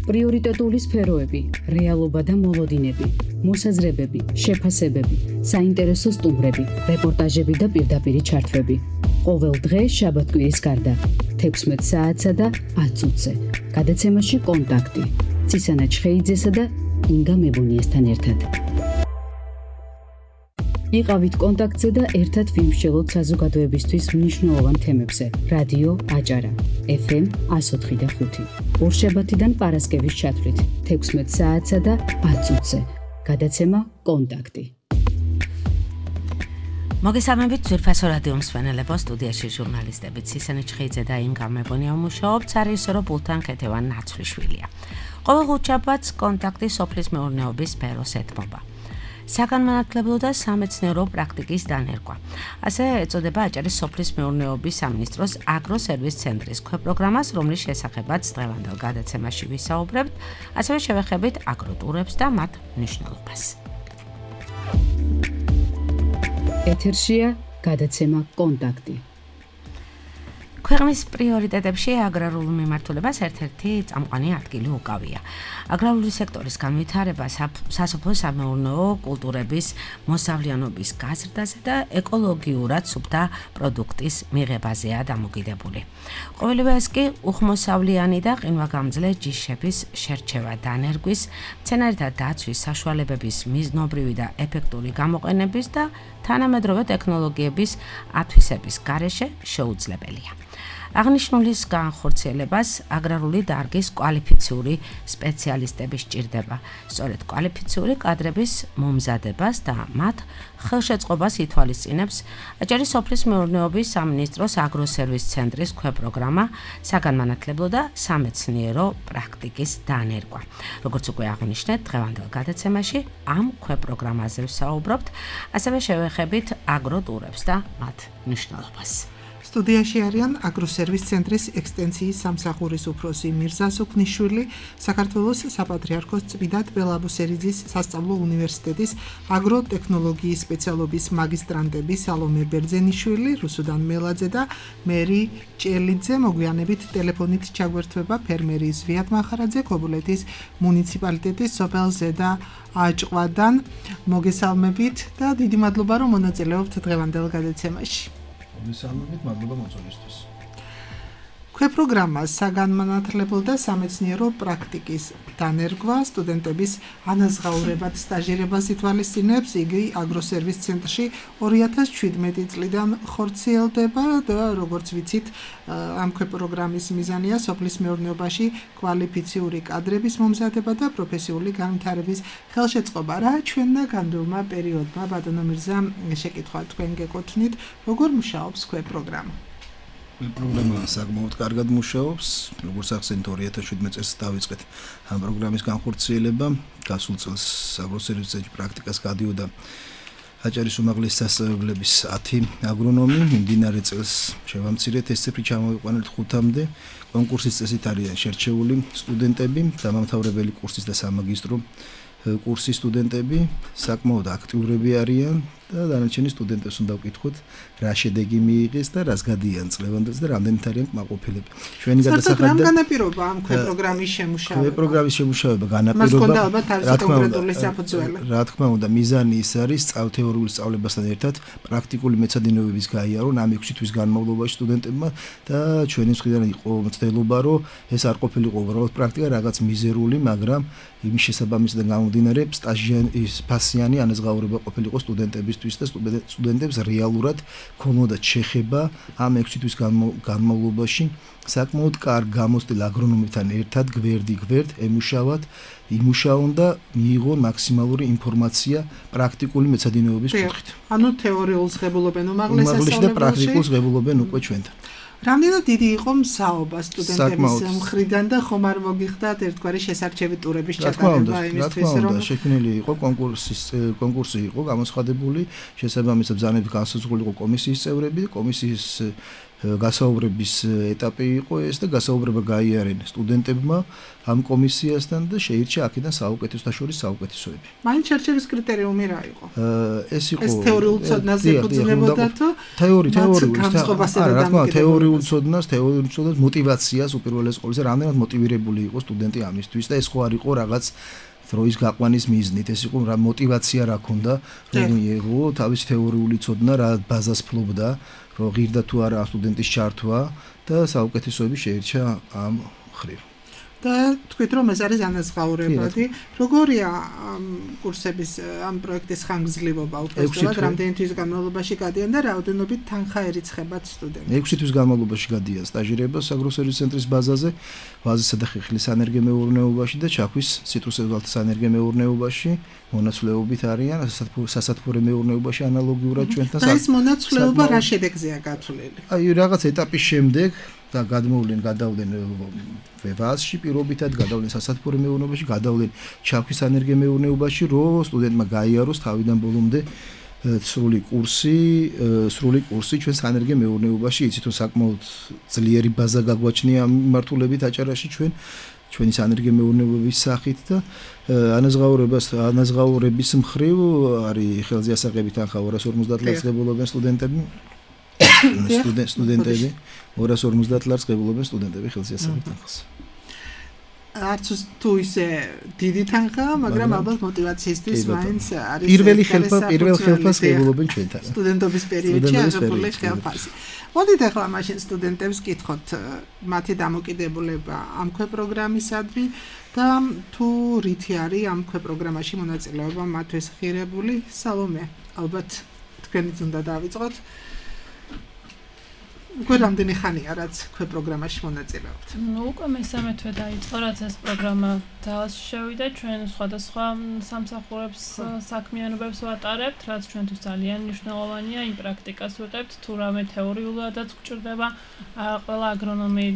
პრიორიტეტული სფეროები, რეალობა და მოლოდინები, მოსაზრებები, შეფასებები, საინტერესო სტუმრები, რეპორტაჟები და პირდაპირი ჩართვები. ყოველ დღე შაბათ-კვირის გარდა 16 საათსა და 10 წუთზე. გადაცემაში კონტაქტი. ცისანა ჩხეიძესა და ინგა მებონიესთან ერთად. იყავით კონტაქტზე და ერთად ვიმსჯელოთ საზოგადოებისთვის მნიშვნელოვან თემებზე. რადიო აჭარა, FM 104.5. ორშაბათიდან პარასკევის ჩათვლით 16 საათსა და 10 წუთზე. გადაცემა კონტაქტი. მოგესალმებით ძვირფასო რადიო მსმენელებო, სტუდიაში ჟურნალისტები ცისანა ჩხეიძე და ინგა მებონია მუშაობთ, სარიესო ბულთან ქეთევან ნაცვლიშვილია. ყოველ ხუთშაბათს კონტაქტი სოფლის მეურნეობის სფეროს ეთმობა. საგანმანათლებლო და სამეცნიერო პრაქტიკის დანერგვა. ასე ეწოდება აჭარის სოფლის მეურნეობის სამინისტროს აგროსერვის ცენტრის ქვეპროგრამას, რომლის შესახებაც დღევანდელ გადაცემაში ვისაუბრებთ, ასევე შევეხებით აგროტურებს და მათ მნიშვნელობას. ეთერშია გადაცემა კონტაქტი. ქვეყნის პრიორიტეტებში აგრარულ მიმართულებას ერთ-ერთი წამყვანი ადგილი უკავია. აგრარული სექტორის განვითარება სასოფლო-სამეურნეო კულტურების მოსავლიანობის გაზრდაზე და ეკოლოგიურად სუფთა პროდუქტის მიღებაზეა დამოკიდებული. ყოველივე ეს კი უხმოსავლიანი და ყინვაგამძლე ჯიშების შერჩევა დანერგვის, მცენარეთა დაცვის საშუალებების მიზნობრივი და ეფექტური გამოყენების და თანამედროვე ტექნოლოგიების ათვისების გარეშე შეუძლებელია. აღნიშნულის განხორციელებას აგრარული დარგის კვალიფიციური სპეციალისტები სჭირდება. სწორედ კვალიფიციური კადრების მომზადებას და მათ ხელშეწყობას ითვალისწინებს აჭარის სოფლის მეურნეობის სამინისტროს აგროსერვის ცენტრის ქვეპროგრამა საგანმანათლებლო და სამეცნიერო პრაქტიკის დანერგვა. როგორც უკვე აღნიშნეთ, დღევანდელ გადაცემაში ამ ქვეპროგრამაზე ვსაუბრობთ, ასევე შევეხებით აგროტურებს და მათ მნიშვნელობას. სტუდიაში არიან აგროსერვის ცენტრის ექსტენსიის სამსახურის უფროსი მირზა სუქნიშვილი, საქართველოს საპატრიარქოს წმიდა თბილაბუსერიძის სასწავლო უნივერსიტეტის აგროტექნოლოგიის სპეციალობის მაგისტრანტები სალომე ბერძენიშვილი, რუსუდან მელაძე და მერი ჭელიძე. მოგვიანებით ტელეფონით ჩაგვერთვება ფერმერი ზვიად მახარაძე ქობულეთის მუნიციპალიტეტის სოფელ ზედა აჭყვადან. მოგესალმებით და დიდი მადლობა, რომ მონაწილეობთ დღევანდელ გადაცემაში. მოგესალმებით, მადლობა მოწვევისთვის. ქვეპროგრამა საგანმანათლებლო და სამეცნიერო პრაქტიკის დანერგვა სტუდენტების ანაზღაურებად სტაჟირებას ითვალისწინებს. იგი აგროსერვის ცენტრში 2017 წლიდან ხორციელდება და როგორც ვიცით, ამ ქვეპროგრამის მიზანია სოფლის მეურნეობაში კვალიფიციური კადრების მომზადება და პროფესიული განვითარების ხელშეწყობა. რა ჩვენნა განვლილმა პერიოდმა, ბატონო მირზა, შეკითხვა თქვენ გეკუთვნით, როგორ მუშაობს ქვეპროგრამა? პროგრამა საკმაოდ კარგად მუშაობს. როგორც ახსენეთ, 2017 წელს დავიწყეთ ამ პროგრამის განხორციელება. გასულ წელს აგროსერვის ცენტრში პრაქტიკას გადიოდა აჭარის უმაღლესი სასწავლებლების 10 აგრონომი. მიმდინარე წელს შევამცირეთ ეს ციფრი ჩამოვიყვანეთ 5-მდე. კონკურსის წესით არიან შერჩეული სტუდენტები, დამამთავრებელი კურსის და სამაგისტრო კურსის სტუდენტები, საკმაოდ აქტიურები არიან და დანარჩენი სტუდენტებს უნდა ვკითხოთ, რა შედეგი მიიღეს და რას გადიან წლევანდელს და რამდენით არიან კმაყოფილები. ჩვენი გადასახადი და განაპირობა ამ ქვეპროგრამის შემუშავება. ქვეპროგრამის შემუშავება განაპირობა. რა თქმა უნდა, მიზანი ის არის თეორიული სწავლებასთან ერთად პრაქტიკული მეცადინეობების გაიარონ ამ 6 თვის განმავლობაში სტუდენტებმა და ჩვენი მხრიდან იყო მცდელობა, რომ ეს არ ყოფილიყო უბრალოდ პრაქტიკა, რაღაც მიზერული, მაგრამ იმის შესაბამისად გამომდინარე ფასიანი ანაზღაურება ყოფილიყო სტუდენტებისთვის და სტუდენტებს რეალურად ქონოდათ შეხება ამ 6 თვის განმავლობაში საკმაოდ კარგ გამოცდილ აგრონომებთან ერთად გვერდ emუშავათ, იმუშაონ და მიიღონ მაქსიმალური ინფორმაცია პრაქტიკული მეცადინეობის კუთხით. ანუ თეორიულს ღებულობენ უმაღლეს სასწავლებელში და პრაქტიკულს ღებულობენ უკვე ჩვენთან. რამდენად დიდი იყო მსაობა სტუდენტების მხრიდან და ხომ არ მოგიხდათ ერთგვარი შესარჩევი ტურების ჩატარება იმისთვის, რომ შექმნილი იყო კონკურსი იყო გამოცხადებული, შესაბამისად ბრძანებით განსაზღვრული იყო კომისიის წევრები, კომისიის გასაუბრების ეტაპი იყო ეს და გასაუბრება გაიარენ სტუდენტებმა ამ კომისიასთან და შეირჩა აქედან საუკეთესოთა შორის საუკეთესოები. მაინც შერჩევის კრიტერიუმი რა იყო? ეს იყო ეს თეორიულ ცოდნაზე ეფუძნებოდა თუ თეორიულ ცოდნას мотивაციას უპირველეს ყოვლისა რამდენად მოტივირებული იყო სტუდენტი ამისთვის და ეს ხო არ იყო რაღაც დროის გაყვანის მიზნით, ეს იყო რა мотивация რა ქონდა, რომ მიიღო თავის თეორიული ცოდნა რა ბაზას ფლობდა, რომ ღირდა თუ არა სტუდენტის ჩართვა და საუკეთესოები შეირჩა ამ ხრივ. და თქვით რომ ეს არის ანაზღაურებადი, როგორია კურსების ამ პროექტის ხანგრძლივობა უბრალოდ რამდენი თვის განმავლობაში გადიან და რაოდენობით თანხა ერიცხებათ სტუდენტებს? 6 თვის განმავლობაში გადიან სტაჟირებას აგროსერვის ცენტრის ბაზაზე, ვაზისა და ხეხილის სანერგემეურნეობაში და ჩაქვის ციტრუსებად სანერგემეურნეობაში მონაცვლეობით არიან სასათბურე მეურნეობაში ანალოგიურად ჩვენთან. და ეს მონაცვლეობა რა შედეგზეა გათვლილი? აი რაღაც ეტაპის შემდეგ და გადმოვლენ ვაზში პირობითად გადავლენ სასათბურე მეურნეობაში, გადავლენ ჩაქვის სანერგემეურნეობაში, რომ სტუდენტმა გაიაროს თავიდან ბოლომდე სრული კურსი ჩვენ სანერგემეურნეობაში, იცით რომ საკმაოდ ძლიერი ბაზა გაგვაჩნია ამ მიმართულებით აჭარაში ჩვენი სანერგემეურნეობის სახით და ანაზღაურების მხრივ არის ხელზე ასაღები თანხა 250 ლარს ღებულობენ სტუდენტები 250 ლარს ღებულობენ სტუდენტები ხელზე ასაღები თანხას. არც თუ ისე დიდი თანხაა, მაგრამ ალბათ мотивациისთვის მაინც არის პირველ ხელფას ღებულობენ ჩვენთან. სტუდენტობის პერიოდში აღებული ხელფასი. მოდით ახლა მაშინ სტუდენტებს კითხოთ მათი დამოკიდებულება ამ პროგრამისადმი და თუ რითი არის ამ პროგრამაში მონაწილეობა მათთვის ღირებული. სალომე, ალბათ თქვენით უნდა დავიწყოთ. უკვე რამდენი ხანია რაც პროგრამაში მონაწილეობთ? უკვე მესამე თვე დაიწყო, რაც ეს პროგრამა ძალაში შევიდა. ჩვენ სხვადასხვა სამსახურებს საქმიანობებს ვატარებთ, რაც ჩვენთვის ძალიან მნიშვნელოვანია. იმ პრაქტიკას ვიღებთ, თუ რამე თეორიულადაც გვჭირდება. ყველა აგრონომი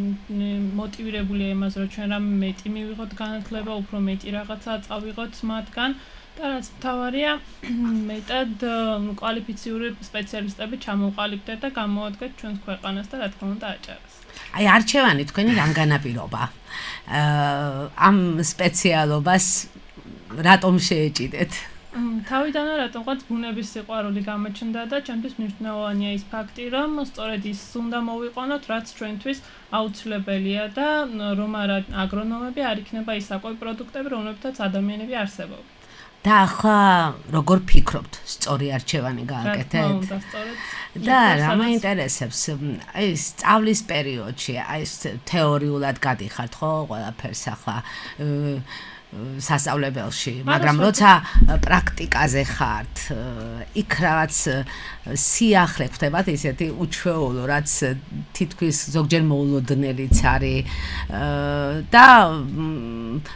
მოტივირებულია იმას, რომ ჩვენ რამე მეტი მივიღოთ განათლება, უფრო მეტი რაღაცა წავიღოთ მათგან. და რაც მთავარია, მეტად კვალიფიციური სპეციალისტები ჩამოვყალიბდეთ და გამოადგეთ ჩვენს ქვეყანას და რა თქმა უნდა აჭარას. აი არჩევანი თქვენი რამ განაპირობა? ამ სპეციალობას რატომ შეეჭიდეთ? თავიდანვე რატომღაც ბუნების სიყვარული გამოჩნდა და ჩემთვის მნიშვნელოვანია ის ფაქტი, რომ სწორედ ის უნდა მოვიყვანოთ, რაც ჩვენთვის აუცილებელია და რომ არა აგრონომები არ იქნება ის საკვები პროდუქტები, რომლებთაც ადამიანები არსებობენ. და ახლა როგორ ფიქრობთ, სწორი არჩევანი გააკეთეთ? და რა მაინტერესებს, აი სწავლის პერიოდში, აი თეორიულად გადიხართ ხო ყველაფერს ახლა სასწავლებელში, მაგრამ როცა პრაქტიკაზე ხართ, იქ რაღაც სიახლე ხდებათ ისეთი უჩვეულო, რაც თითქოს ზოგჯერ მოულოდნელიც არის და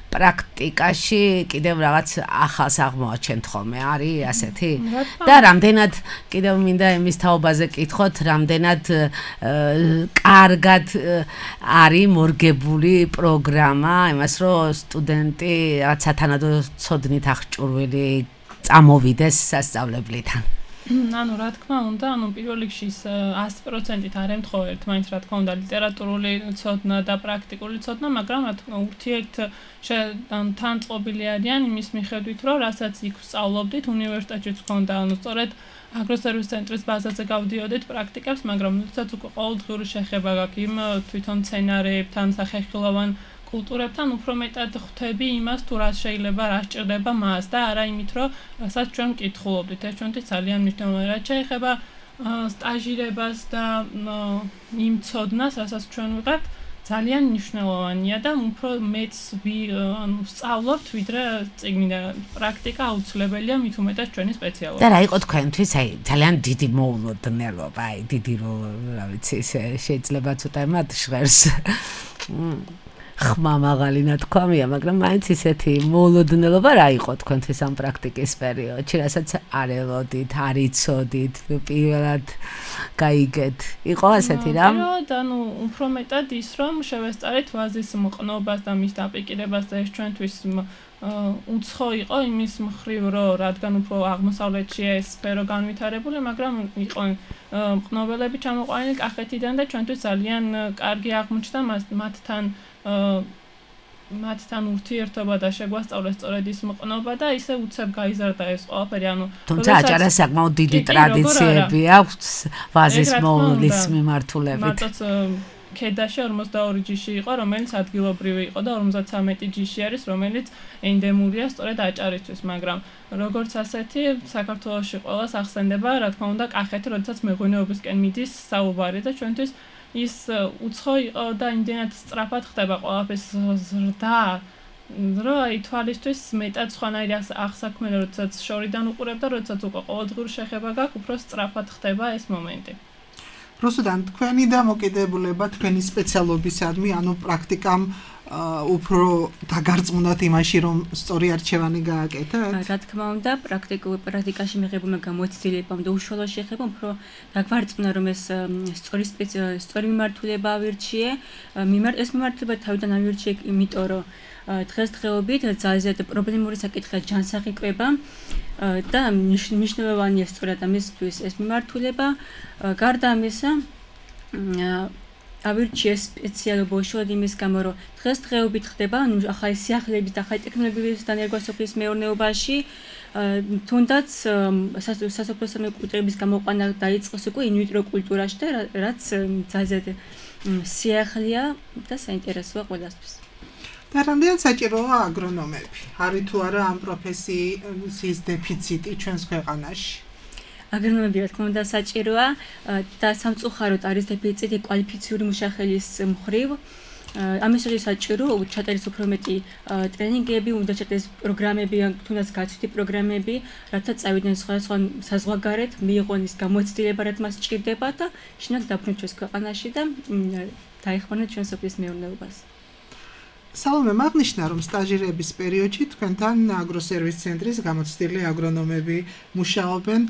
პრაქტიკაში კიდევ რაღაც ახალს აღმოაჩენთ ხოლმე, არის ასეთი? და რამდენად კიდევ მინდა იმის თაობაზე კითხოთ, რამდენად კარგად არის მორგებული პროგრამა, იმას რომ სტუდენტი რაც სათანადო ცოდნით აღჭურვილი წამოვიდეს სასწავლებლიდან. ანუ რა თქმა უნდა, პირველ რიგში 100%-ით არ ემთხოვ ერთმანეთს, რა თქმა უნდა, ლიტერატურული ცოდნა და პრაქტიკული ცოდნა, მაგრამ რა თქმა თან წყობილი არიან იმის მიხედვით, რომ რასაც იქ ვსწავლობდით, უნივერსიტეტშიც ჰქონდა, სწორედ აგროსერვის ცენტრის ბაზაზე გავდიოდით პრაქტიკებს, მაგრამ როდესაც უკვე ყოველდღიური შეხება გაქვს იმ თვითონ სცენარეებთან, სახეხილოვან კულტურებთან უფრო მეტად ხვდები იმას, თუ რა შეიძლება, რა სჭირდება მას და არა იმით, რომ რასაც ჩვენ მკითხულობდით. ეს ჩვენთვის ძალიან მნიშვნელოვანია. რაც შეეხება სტაჟირებას და იმ ცოდნას, რასაც ჩვენ ვიღებთ, ძალიან მნიშვნელოვანია და უფრო მეც ვსწავლობთ, ვიდრე წიგნიდან. პრაქტიკა აუცილებელია, მით უმეტეს ჩვენი სპეციალობა. და რა იყო თქვენთვის, აი ძალიან დიდი მოულოდნელობა, აი დიდი რა ვიცი, შეიძლება ცოტა მათ ჟღერს. ხმა მაღალი ნათქვამია, მაგრამ მაინც ისეთი მოულოდნელობა რა იყო თქვენთვის ამ პრაქტიკის პერიოდში, რასაც არ ელოდით, არ იცოდით, პირველად გაიგეთ. იყო ასეთი რამ? ანუ უფრო მეტად ის რომ შევესწარეთ ვაზის მყნობას და მის დაპირკირებას და ეს ჩვენთვის უცხო იყო იმის მხრივ, რომ რადგან უფრო აღმოსავლეთშია ეს სფერო განვითარებული, მაგრამ იყო მყნობელები ჩამოყვანილი კახეთიდან და ჩვენთვის ძალიან კარგი აღმოჩნდა მათთან ურთიერთობა და შეგვასწავლეს სწორედ ის მყნობა და ისე უცებ გაიზარდა ეს ყველაფერი, ანუ თუმცა აჭარას საკმაოდ დიდი ტრადიციები აქვს ვაზის მოულის მიმართულებით. მარტოც ქედაში 42 ჯიში იყო, რომელიც ადგილობრივი იყო და 53 ჯიში არის, რომელიც ენდემურია სწორედ აჭარისთვის, მაგრამ როგორც ასეთი საქართველოში ყველას ახსენდება, რა თქმა უნდა, კახეთი, როდესაც მეღვინეობისკენ მიდის საუბარი და ჩვენთვის ის უცხო იყო და იმდენად სწრაფად ხდება ყველაფრის ზრდა, რომ აი თვალისთვის მეტად სხვანაირი აღსაქმელი, როდესაც შორიდან უყურებ და როდესაც უკვე ყოველდღიური შეხება გაქვს, უფრო სწრაფად ხდება ეს მომენტი. რუსუდან, თქვენი დამოკიდებულება თქვენი სპეციალობისადმი, ანუ პრაქტიკამ უფრო დაგარწმუნდათ იმაში, რომ სწორი არჩევანი გააკეთეთ? რა თქმა უნდა, პრაქტიკაში მიღებულმა გამოცდილებამ და უშუალო შეხებამ უფრო დაგვარწმუნა, რომ ეს სწორი მიმართულება ავირჩიე. ეს მიმართულება თავიდან ავირჩიე, იმიტომ რომ დღესდღეობით ძალიან პრობლემური საკითხია ჯანსაღი კვება და მნიშვნელოვანია სწორად ამისთვის ეს მიმართულება. გარდა ამისა, ავირჩიე სპეციალობა უშუალოდ იმის გამო, რომ დღესდღეობით ხდება ახალი სიახლეების და ახალი ტექნოლოგიების დანერგვა სოფლის მეურნეობაში, თუნდაც სასოფლო სამეურნეობის გამოყვანა დაიწყოს უკვე ინვიტრო კულტურაში და რაც ძალიან სიახლეა და საინტერესოა ყველასთვის. და რამდენად საჭიროა აგრონომები? არის თუ არა ამ პროფესიის დეფიციტი ჩვენს ქვეყანაში? აგრონომები რა თქმა უნდა საჭიროა და სამწუხაროდ არის დეფიციტი კვალიფიციური მუშახელის მხრივ. ამისთვის საჭირო ჩატერის უფრო მეტი ტრენინგები, უნდა ჩატერის პროგრამები, თუნდაც გაცვლითი პროგრამები, რათა წავიდნენ სხვადასხვა საზღვარგარეთ, მიიღონ ის გამოცდილება, რაც მას სჭირდება და შინაგან დაბრუნდნენ ჩვენს ქვეყანაში და დაეხმარნენ ჩვენ სოფლის მეურნეობას. სალომე, მაგნიშნა რომ სტაჟირების პერიოდში თქვენთან აგროსერვის ცენტრის გამოცდილი აგრონომები მუშაობენ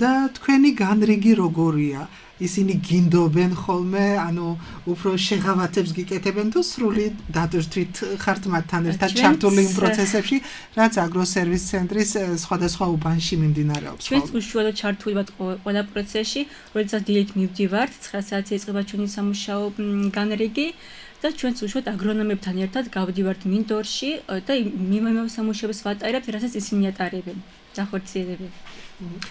და თქვენი განრიგი როგორია? ისინი გინდობენ ხოლმე, ანუ უფრო შეღავათებს გიკეთებენ თუ სრული დადრთვით ხართ მათთან ერთად ჩართული იმ პროცესებში, რაც აგროსერვის ცენტრის სხვადასხვა უბანში მიმდინარეობს? ჩვენც უშუალოდ ჩართული ვართ ყველა პროცესში, როდესაც დილით მივდივართ, 9 საათზე იწყება ჩვენი სამუშაო განრიგი. და ჩვენც უშუალოდ აგრონომებთან ერთად გავდივართ მინდორში და მიმავე სამუშაოებს ვატარებთ, რასაც ისინი ატარებენ, დახორციელებენ.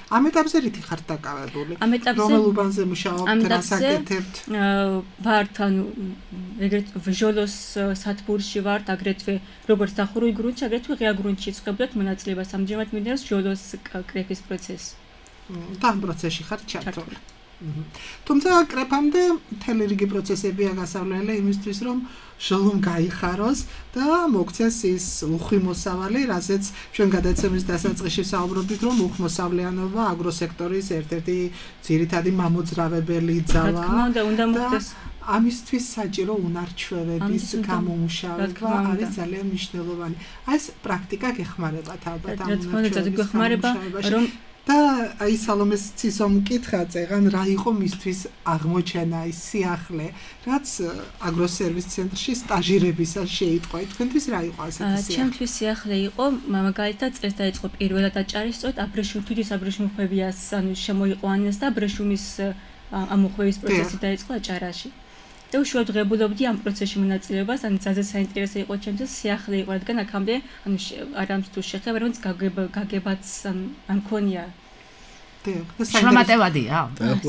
ამ ეტაპზე რითი ხართ დაკავებული? რომელ უბანზე მუშაობთ, რას აკეთებთ? ვართ, ანუ ეგრეთ ჟოლოს სათბურში ვართ, აგრეთვე როგორც დახურულ გრუნტში, აგრეთვე ღია გრუნტში ვწყებდით მონაწილეობას. ამჯერად მიმდინარეობს ჟოლოს კრეფის პროცესი. და ამ პროცესში ხართ ჩართული. თუმცა კრეფამდე მთელი რიგი პროცესებია გასავლელი იმისთვის, რომ ჟოლომ გაიხაროს და მოგცეს ის უხვიმოსავალი, რასაც ჩვენ გადაცემის დასაწყისში საუბრობდით, რომ უხვმოსავლიანობა აგროსექტორის ერთ-ერთი ძირითადი მამოძრავებელი ძალა. უნდა მოგცეს. ამისთვის საჭირო უნარჩვევების გამომუშავება არის ძალიან მნიშვნელოვანი. აი ეს პრაქტიკა გეხმარებათ ალბათ ამ უნარჩვევების რომ და აი სალომეს ცისომ მკითხა წეგან რა იყო მისთვის აღმოჩენა ის სიახლე, რაც აგროსერვის ცენტრში სტაჟირებისას შეიტყვა. თქვენთვის რა იყო ასეთი სიახლე? ჩემთვის სიახლე იყო, მაგალითად წელს დაიწყო პირველად აჭარის სწორედ თვითის აბრეშუმხვევიას ანუ შემოიყვანეს და აბრეშუმის ამოხვევის პროცესი დაიწყო აჭარაში. და უშუალოდ ღებულობდი ამ პროცესში მონაწილეობას, ანუ ძალიან საინტერესო იყო ჩემთვის სიახლე იყო, რადგან აქამდე ანუ არამც თუ შეხება, რომელიც გაგებაც ან მქონია. შრომატევადია?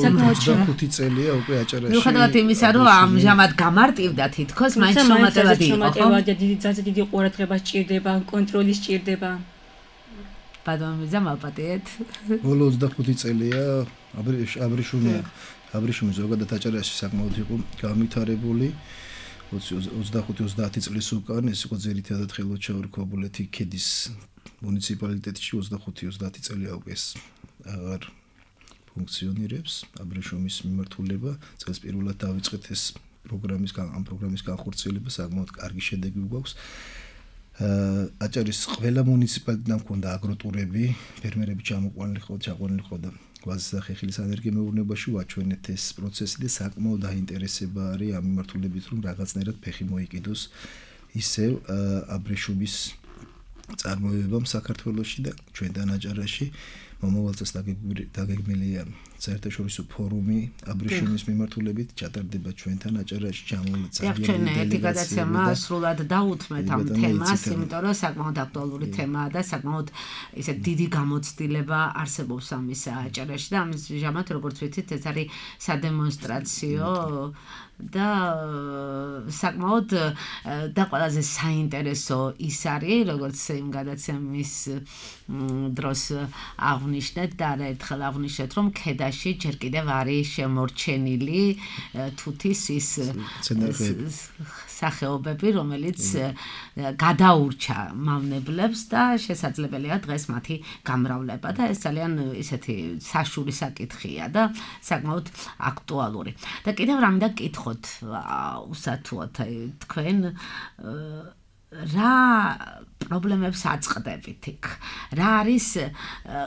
საკმაოდ 25 წელია უკვე აჭარაში. მიუხედავად იმისა, რომ ამჟამად გამარტივდა თითქოს, მაინც შრომატევადი იყო, ხო? ძალიან დიდი ყურადღება სჭირდება, კონტროლი სჭირდება. ბადამიზა მალპატიეთ. ბოლო 25 წელია აბრეშუმი ზოგადად აჭარაში საკმაოდ იყო განვითარებული. 25-30 წლის უკან ეს იყო ძირითადად ხელოჩაური ქობულეთი ქედის მუნიციპალიტეტში 25-30 წელია უკვე ეს აღარ ფუნქციონირებს აბრეშუმის მიმართულება. წელს პირველად დავიწყეთ ეს პროგრამის განხორციელება საკმაოდ კარგი შედეგი გვაქვს. აჭარის ყველა მუნიციპალიტეტთან მქონდა აგროტურები, ფერმერები ჩაყვანილი ხოდა გვაზის და ხეხილის ენერგია მეურნეობაში ვაჩვენეთ ეს პროცესი და საკმაოდ დაინტერესება არის ამ მიმართულებით, რომ რაღაცნაირად ფეხი მოიკიდოს ისევ აბრეშუმის წარმოებამ საქართველოში და ჩვენთან აჭარაში. მომავალ წელს დაგეგმილია საერთაშორისო ფორუმი აბრეშუმის მიმართულებით ჩატარდება ჩვენთან აჭარაში ძალიან ერთი გადაცემა სრულად დაუთმეთ ამ თემას, იმიტომ რომ საკმაოდ აქტუალური თემაა და საკმაოდ ისე დიდი გამოცდილება არსებობს ამის აჭარაში და ამის ჟამად როგორც ვიცით ეს არის სადემონსტრაციო და საკმაოდ და ყველაზე საინტერესო ის არის როგორც იმ გადაცემის დროს აღნიშნეთ და ერთხელ აღნიშნეთ რომ ქედაში ჯერ კიდევ არის შემორჩენილი თუთის ის სახეობები რომელიც გადაურჩა მავნებლებს და შესაძლებელია დღეს მათი გამრავლება და ეს ძალიან ისეთი საშური საკითხია და საკმაოდ აქტუალური და კიდევ რამე და კითხოთ უსათუოდ თქვენ რა პრობლემებს აწყდებით იქ რა არის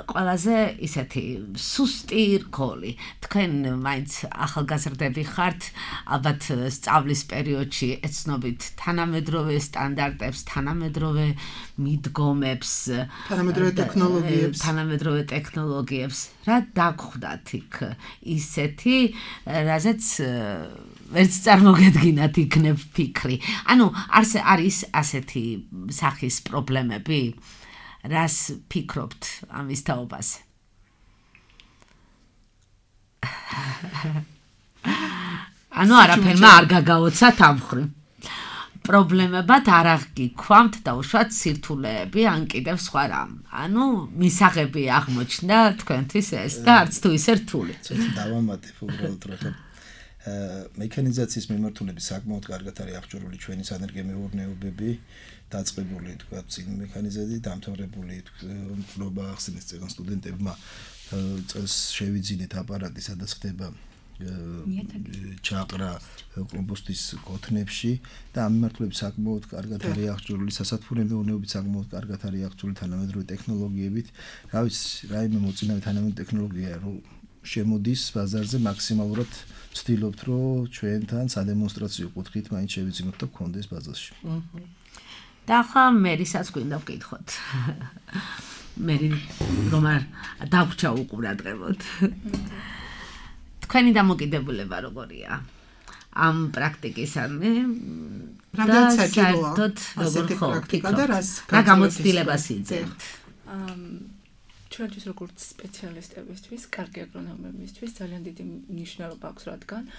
ყველაზე ისეთი სუსტი რგოლი თქვენ მაინც ახალგაზრდები ხართ ალბათ სწავლის პერიოდში ეცნობით თანამედროვე სტანდარტებს თანამედროვე მიდგომებს თანამედროვე ტექნოლოგიებს რა დაგხვდათ იქ ისეთი რაზეც ვერც წარმოგედგინათ იქნებ ფიქრი ანუ არის ასეთი სახის პრობლემები რას ფიქრობთ ამის თაობაზე ანუ არაფერმა არ გაგაოცათ ამ მხრივ პრობლემებად არ აღგიქვამთ და უშუალოდ სირთულეები ან კიდევ სხვა რამ ანუ მისაღები აღმოჩნდა თქვენთვის ეს და არც თუ ისე რთული დავამატებ უბრალოდ რა მექანიზაციის მიმართულებით საკმაოდ კარგად არის აღჭურვილი ჩვენი სანერგე მეურნეობები დაწყებული თქვა წინ მექანიზაცია დამთავრებული მკვლობა ახსენეს წეგან სტუდენტებმა წელს შევიძინეთ აპარატი სადაც ხდება ჩაყრა კომპოსტის კოთნებში და ამ მიმართულებით საკმაოდ კარგად არის აღჭურვილი სასათბურე მეურნეობით საკმაოდ კარგად არის აღჭურვილი თანამედროვე ტექნოლოგიებით რა ვიცი რაიმე მოწინავე თანამედროვე ტექნოლოგია რომ შემოდის ბაზარზე მაქსიმალურად ვცდილობთ რომ ჩვენთან სადემონსტრაციო კუთხით მაინც შევიძინოთ და გქონდეს ბაზარში და ახლა მერისაც გვინდა ვკითხოთ მერი რომ არ დაგვჭა უყურადღებოდ თქვენი დამოკიდებულება როგორია ამ პრაქტიკისადმი რა საჭიროა როგორ პრაქტიკა და რა გამოცდილებას იძენთ ჩვენთვის როგორც სპეციალისტებისთვის, კარგი აგრონომებისთვის ძალიან დიდი მნიშვნელობა აქვს, რადგან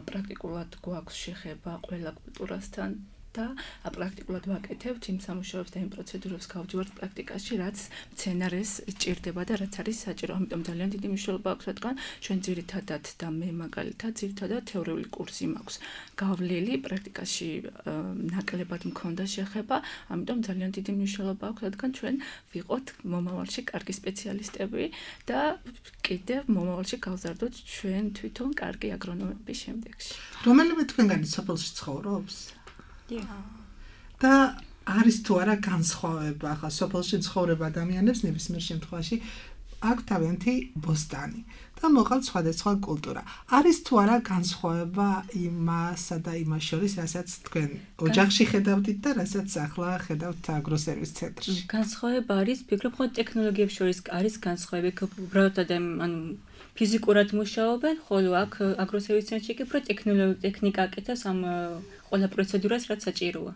პრაქტიკულად გვაქვს შეხება ყველა კულტურასთან და პრაქტიკულად ვაკეთებთ იმ სამუშაოებს და იმ პროცედურებს გავჯვართ პრაქტიკაში, რაც მცენარეს ჭირდება და რაც არის საჭირო. ამიტომ ძალიან დიდი მნიშვნელობა აქვს, რადგან ჩვენ ძირითადად და მე მაგალითად ძირითადად თეორიული კურსი მაქვს გავლილი, პრაქტიკაში ნაკლებად მქონდა შეხება, ამიტომ ძალიან დიდი მნიშვნელობა აქვს, რადგან ჩვენ ვიყოთ მომავალში კარგი სპეციალისტები და კიდევ მომავალში გავზარდოთ ჩვენ თვითონ კარგი აგრონომების შემდეგში. რომელიმე თქვენგანი სოფელში ცხოვრობს? და არის თუ არა განსხვავება ახლა სოფელში ცხოვრებ ადამიანებს ნებისმიერ შემთხვევაში აქვს თავიანთი ბოსტანი და მოყავთ სხვადასხვა კულტურა არის თუ არა განსხვავება იმასა და იმას შორის რასაც თქვენ ოჯახში ხედავთ და რასაც ახლა ხედავთ აგროსერვის ცენტრში განსხვავება არის ფიქრობ ხო ტექნოლოგიებს შორის არის განსხვავება უბრალოდ ანუ ფიზიკურად მუშაობენ ხოლო აქ აგროსერვის ცენტრში კი უფრო ტექნიკა აკეთებს ამ ყველა პროცედურას რაც საჭიროა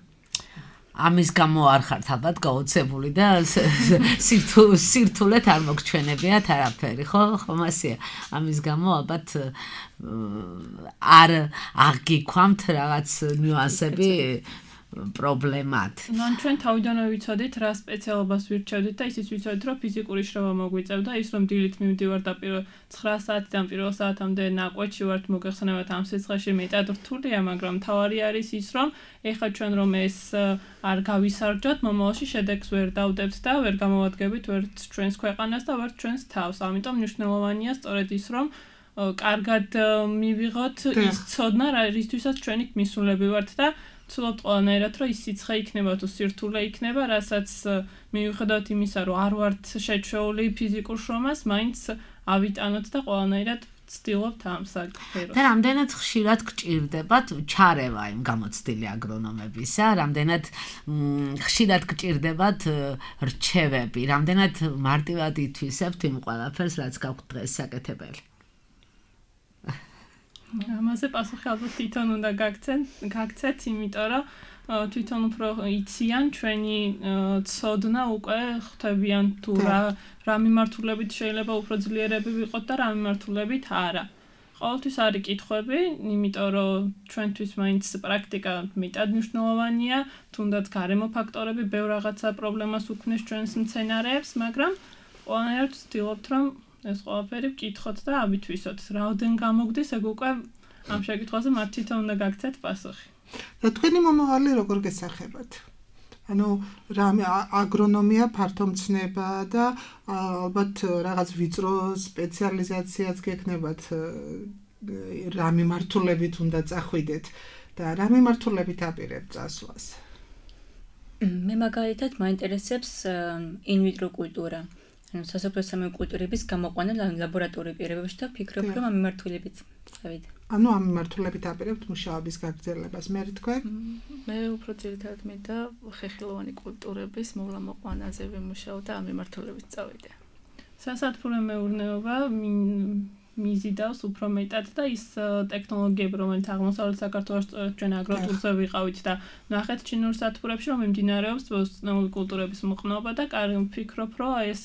ამის გამო არ ხართ ალბათ გაოცებული და სირთულეთ არ მოგჩვენებიათ არაფერი ხო ხომასია ამის გამო ალბათ არ აღგიქვამთ რაღაც ნიუანსები პრობლემად. ნუ ჩვენ თავიდანვე ვიცოდით რა სპეციალობას ვირჩევდით და ისიც ვიცოდით რომ ფიზიკური შრომა მოგვიწევდა ის რომ დილით მივდივარ და 9 საათიდან პირველ საათამდე ნაკვეთში ვართ მოგეხსენებათ ამ სიცხეში მეტად რთულია მაგრამ თავარი არის ის რომ ეხლა ჩვენ რომ ეს არ გავისარჯოთ მომავალში შედეგს ვერ დავდებთ და ვერ გამოვადგებით ვერც ჩვენს ქვეყანას და ვერც ჩვენს თავს ამიტომ მნიშვნელოვანია სწორედ ის რომ კარგად მივიღოთ ის ცოდნა, რისთვისაც ჩვენი მისულები ვართ და ვცდილობთ ყველანაირად, რომ ის სიცხე იქნება თუ სირთულე იქნება, რასაც მიუხედავად იმისა, რომ არ ვართ შეჩვეული ფიზიკურ შრომას, მაინც ავიტანოთ და ყველანაირად ვცდილობთ ამ საკითხებს. და რამდენად ხშირად გჭირდებათ ჩარევა იმ გამოცდილი აგრონომებისა, რამდენად ხშირად გჭირდებათ რჩევები, რამდენად მარტივად ითვისებთ იმ ყველაფერს, რაც გაქვთ დღეს საკეთებელი. ამაზე პასუხი ალბათ თვითონ უნდა გაგცეთ, იმიტომ რომ თვითონ უფრო იციან ჩვენი ცოდნა უკვე ხვდებიან თუ რა მიმართულებით შეიძლება უფრო ძლიერები ვიყოთ და რა მიმართულებით არა. ყოველთვის არის კითხვები, იმიტომ რომ ჩვენთვის მაინც პრაქტიკა მეტად მნიშვნელოვანია, თუნდაც გარემო ფაქტორები ბევრ რაღაცა პრობლემას უქმნის ჩვენს მცენარეებს, მაგრამ ყველანაირად ვცდილობთ რომ ეს ყველაფერი ვკითხოთ და ავითვისოთ. რაოდენ გამოგდის, ეგ უკვე ამ შეკითხვაზე მათ თვითონ უნდა გაგცეთ პასუხი. და თქვენი მომავალი როგორ გესახებათ? ანუ რა აგრონომია ფართო მცნება და ალბათ რაღაც ვიწრო სპეციალიზაციაც გექნებათ, რა მიმართულებით უნდა წახვიდეთ და რა მიმართულებით აპირებთ წასვლას? მე მაგალითად მაინტერესებს ინვიტრო კულტურა. ანუ სასოფლო-სამეურნეო კულტურების გამოყვანა ლაბორატორიულ პირობებში და ვფიქრობ, რომ ამ მიმართულებით წავიდე. ანუ ამ მიმართულებით აპირებთ მუშაობის გაგრძელებას, მე თქვენ? მე უფრო ძირითადად მინდა ხეხილოვანი კულტურების მოვლა-მოყვანაზე ვიმუშაო და ამ მიმართულებით წავიდე. სასათბურე მეურნეობა მიზიდავს უფრო მეტად და ის ტექნოლოგიები, რომელიც აღმოსავლეთ საქართველოს ჩვენ აგროტურზე ვიყავით და ნახეთ ჩინურ სათბურებში, რომ მიმდინარეობს ბოსტნეული კულტურების მოყნობა და ვფიქრობ, რომ ეს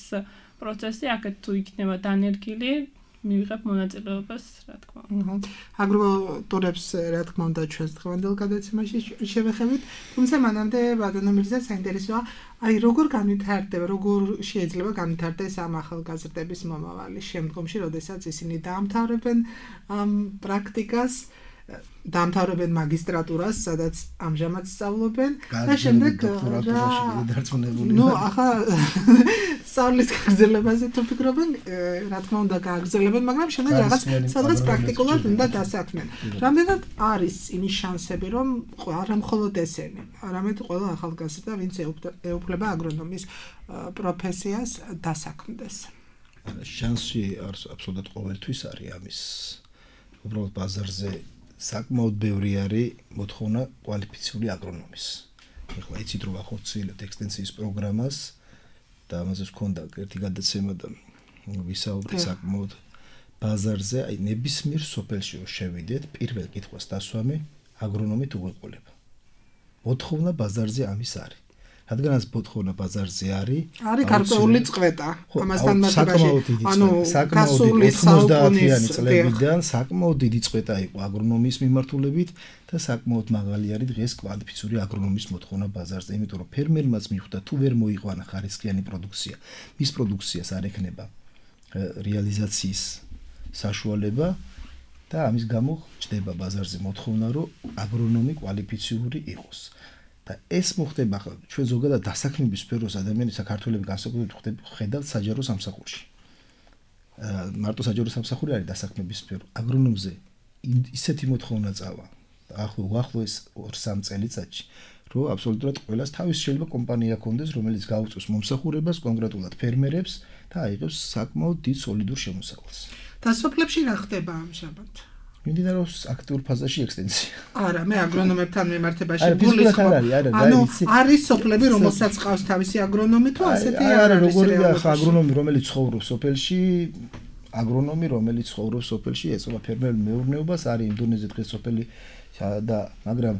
პროცესი აქეთ თუ იქნება დანერგილი, მივიღებ მონაწილეობას, რა თქმა უნდა. აგროტურებს, რა თქმა უნდა, ჩვენს დღევანდელ გადაცემაში შევეხებით, თუმცა მანამდე ბატონო მირზა საინტერესოა, აი როგორ განვითარდება, როგორ შეიძლება განვითარდეს ამ ახალგაზრდების მომავალი შემდგომში, როდესაც ისინი დაამთავრებენ ამ პრაქტიკას, დაამთავრებენ მაგისტრატურას, სადაც ამჟამად სწავლობენ და შემდეგ ნუ ახლა სწავლის გაგრძელებაზე თუ ფიქრობენ, რა თქმა უნდა გააგრძელებენ, მაგრამ შემდეგ რაღაც სადღაც პრაქტიკულად უნდა დასაქმენ. რამდენად არის იმის შანსები, რომ არა მხოლოდ ესენი, არამედ ყველა ახალგაზრდა, ვინც ეუფლება აგრონომის პროფესიას, დასაქმდეს? შანსი აბსოლუტურად ყოველთვის არის ამის. უბრალოდ ბაზარზე საკმაოდ ბევრი არის მოთხოვნა კვალიფიციური აგრონომის. ეხლა იცით რომ ახორციელებთ ექსტენსიის პროგრამას და ამაზე ვქონდა ერთი გადაცემა და ვისაუბრეთ საკმაოდ ბაზარზე, აი ნებისმიერ სოფელში შევიდეთ, პირველ კითხვას დასვამი აგრონომით უყოლება. მოთხოვნა ბაზარზე ამის არის. რადგანაც მოთხოვნა ბაზარზე არის გარკვეული წყვეტა ამასთან მარტივაში, ანუ გასული 90-იანი წლებიდან საკმაოდ დიდი წყვეტა იყო აგრონომიის მიმართულებით და საკმაოდ მაღალი არის დღეს კვალიფიციური აგრონომის მოთხოვნა ბაზარზე, იმიტომ რომ ფერმერმაც მიხვდა თუ ვერ მოიყვანა ხარისხიანი პროდუქცია, მის პროდუქციას არ ექნება რეალიზაციის საშუალება და ამის გამო ჩდება ბაზარზე მოთხოვნა, რომ აგრონომი კვალიფიციური იყოს. და ეს მოხდება ახლა ჩვენ ზოგადად დასაქმების სფეროს ადამიანის საქართველოს განსაკუთრებით ხედავთ საჯარო სამსახურში. მარტო საჯარო სამსახური არის დასაქმების სფერო. აგრონომზე ისეთი მოთხოვნა წავა. ახლოს 2-3 წელიწადში, რომ აბსოლუტურად ყველას თავის შეიძლება კომპანია ქონდეს, რომელიც გაუწევს მომსახურებას კონკრეტულად ფერმერებს და აიღებს საკმაოდ დიდ სოლიდურ შემოსავალს. და სოფლებში რა ხდება ამჟამად? მიმდინარეობს აქტიურ ფაზაში ექსტენსია. არა, მე აგრონომებთან მიმართებაში გულისხმობ. ანუ არის სოფლები, რომელსაც ყავს თავისი აგრონომი თუ ასეთი არა, როგორია ხა აგრონომი, რომელიც ცხოვრობს სოფელში, აგრონომი, რომელიც ცხოვრობს სოფელში, ეწევა ფერმერულ მეურნეობას, არის იმ დონეზე დღეს სოფელი და მაგრამ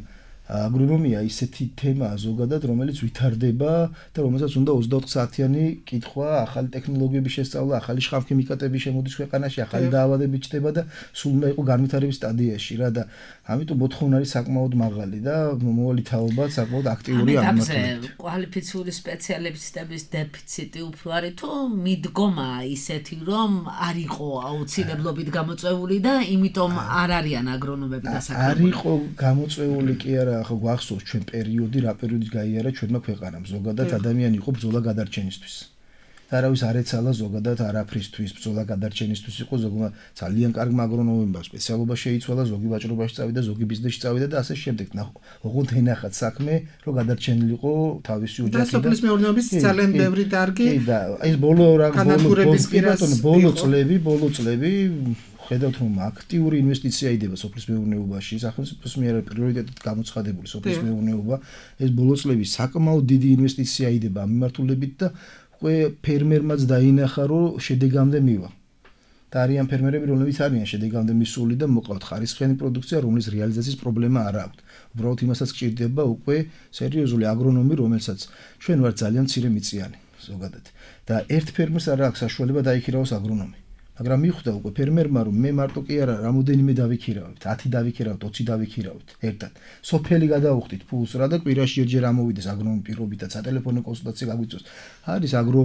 აგრონომია ისეთი თემაა ზოგადად, რომელიც ვითარდება და რომელსაც უნდა 24 საათიანი კითხვა, ახალი ტექნოლოგიების შესწავლა, ახალი შხამქიმიკატები შემოდის ქვეყანაში, ახალი დაავადებები ჩდება და სულ უნდა იყოს განვითარების სტადიაში რა და ამიტომ მოთხოვნა არის საკმაოდ მაღალი და მომავალი თაობა საკმაოდ აქტიური ამათებით. კვალიფიციური სპეციალისტების დეფიციტი უფრო არის თუ მიდგომა ისეთი რომ არ იყო აუცილებლობით გამოწვეული და იმიტომ არ არიან აგრონომები დასაქმებული. არ იყო გამოწვეული კი არა, ახლა გვახსოვს ჩვენ პერიოდი, რა პერიოდი გაიარა ჩვენმა ქვეყანამ. ზოგადად ადამიანი იყო ბრძოლა გადარჩენისთვის. არავის არ ეცალა ზოგადად არაფრისთვის, ბრძოლა გადარჩენისთვის იყო ზოგმა ძალიან კარგმა აგრონომებმა სპეციალობა შეიცვალა, ზოგი ვაჭრობაში წავიდა, ზოგი ბიზნესში წავიდა და ასე შემდეგ. ოღონდ ენახათ საქმე, რომ გადარჩენილიყო თავისი ოჯახი და სოფლის მეურნეობის ძალიან ბევრი დარგი. კი და ეს ბოლო წლები ხედავთ რომ აქტიური ინვესტიცია იდება სოფლის მეურნეობაში, სახელმწიფოს მიერ პრიორიტეტად გამოცხადებული სოფლის მეურნეობა, ეს ბოლო წლები საკმაოდ დიდი ინვესტიცია იდება ამ მიმართულებით და უკვე ფერმერმაც დაინახა რომ შედეგამდე მივა. და არიან ფერმერები, რომლებიც არიან შედეგამდე მისული და მოყავთ ხარისხიანი პროდუქცია, რომლის რეალიზაციის პრობლემა არ აქვს. უბრალოდ იმასაც გჭირდება უკვე სერიოზული აგრონომი, რომელსაც ჩვენ ვართ ძალიან მცირე მიწიანი ზოგადად. და ერთ ფერმერს არ აქვს საშუალება დაიქირავოს აგრონომი. მაგრამ მიხვდა უკვე ფერმერმა რომ მე მარტო კი არა რამოდენიმე დავიქირავებთ 10 დავიქირავთ 20 დავიქირავთ ერთად სოფელი გადავუხდით ფულს რა და კვირაში ერთჯერ ამოვიდეს აგრონომი პირობითაც სატელეფონო კონსულტაცია გაგვიწევს არის აგრო